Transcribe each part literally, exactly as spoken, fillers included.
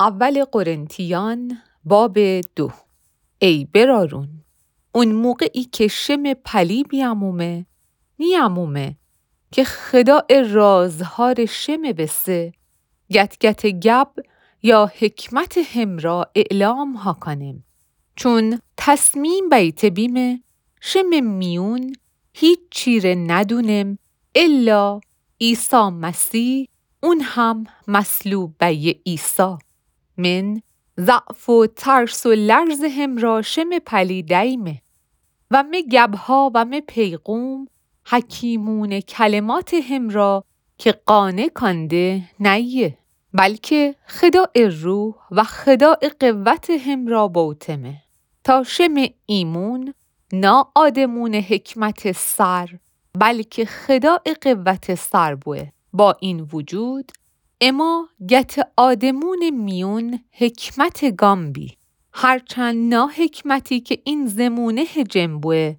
اول قرنتیان، باب دو. ای برارون، اون موقعی که شمه پلی بیامومه، نیامومه که خداع رازهار شمه وسه گت‌گت گب یا حکمت همرا اعلام هاکانم. چون تصمیم بیته بیمه شمه میون هیچی ره ندونم الا عیسی مسیح، اون هم مصلوب بیه عیسی. من ضعف و ترس و لرز همرا شمه پلی دأیمه و مه گبها و مه پیغوم حکیمونه کلمات همرا که قانع کانده نأیه، بلکه خداع روح و خداع قوت همرا بوتمه، تا شمه ایمون نا آدمونه حکمت سر، بلکه خداع قوت سر بوه. با این وجود، اما گت آدمونه میون حکمت گام بی، هرچند نا حکمتی که این زمونه جم بوه،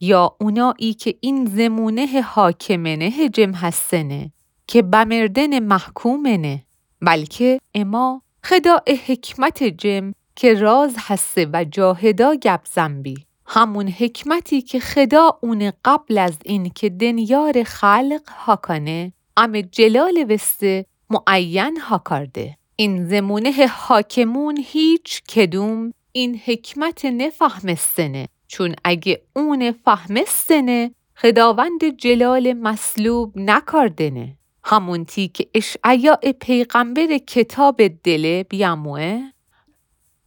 یا اونایی که این زمونه حاکمنه جم هستنه، که به مردن محکومنه، بلکه اما خداع حکمت جم که راز هسه و جا هدا گب زن بی. همون حکمتی که خدا اونه قبل از این که دنیا ره خلق هاکانه، امه جلال وسته معین هاکارده. این زمونه حاکمون هیچ کدوم این حکمت نفهمستنه، چون اگه اونه فهمستنه، خداوند جلال مصلوب نکاردنه. همونتی که اشعیا پیغمبر کتاب دله بیاموه،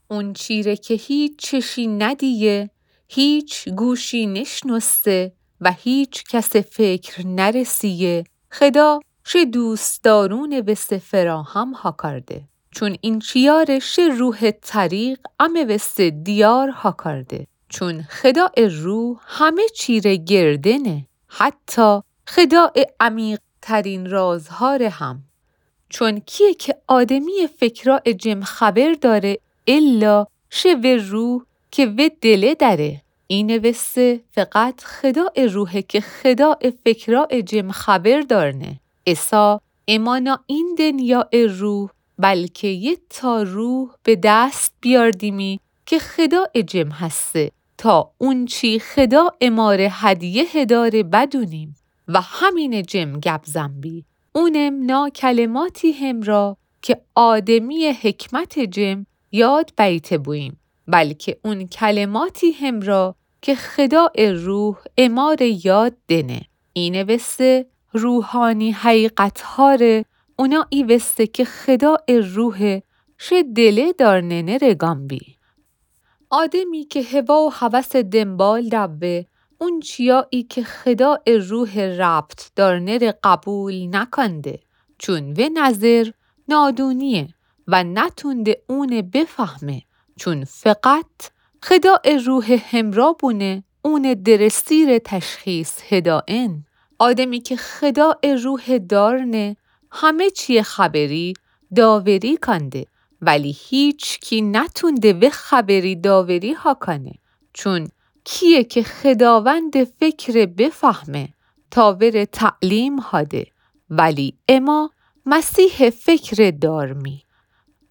اونچی ره که هیچ چشی ندیه، هیچ گوشی نشنوسته و هیچ کس فکر نرسیه، خدا شه دوستدارون وسته فراهم هاکارده. چون اینچیا ره شه روح طریق امه وسته دیار هاکارده. چون خداع روح همه چی ره گردنه، حتی خداع عمیق‌ترین رازها ره هم. چون کیه که آدمی فکراع جم خبر داره الا شه وه روح که وه دله دأره؟ اینه وسته فقط خداع روحه که خداع فکراع جم خبر دارنه. عیسی اما نا این دنیاع روح، بلکه یه تا روح به دست بیاردیمی که خداع جم هسته، تا اونچی خدا اماره هدیه داره بدونیم و همینه جم گب زن بی. اونم نا کلماتی همرا که آدمی حکمت جم یاد بیته بویم، بلکه اون کلماتی همرا که خداع روح اماره یاد دنه. اینه وسته روحانی حقیقتها ره اونایی وسته که خداع روحه شه دله دارننه ره گام بی. آدمی که هوا و هوس دنبال دوه، اونچیایی که خداع روح ربط دارنه ره قبول نکانده، چون وه نظر نادونیه و نتونده اونه بفهمه، چون فقط خداع روح همرا بونه اونه درستی ره تشخیص هدائن. آدمی که خداع روح دارنه، همه چی خبری داوری کانده، ولی هیچکی نتونده وه خبری داوری هاکانه. چون کیه که خداوند فکر بفهمه تا وره تعلیم هاده؟ ولی اما مسیح فکر دارمی.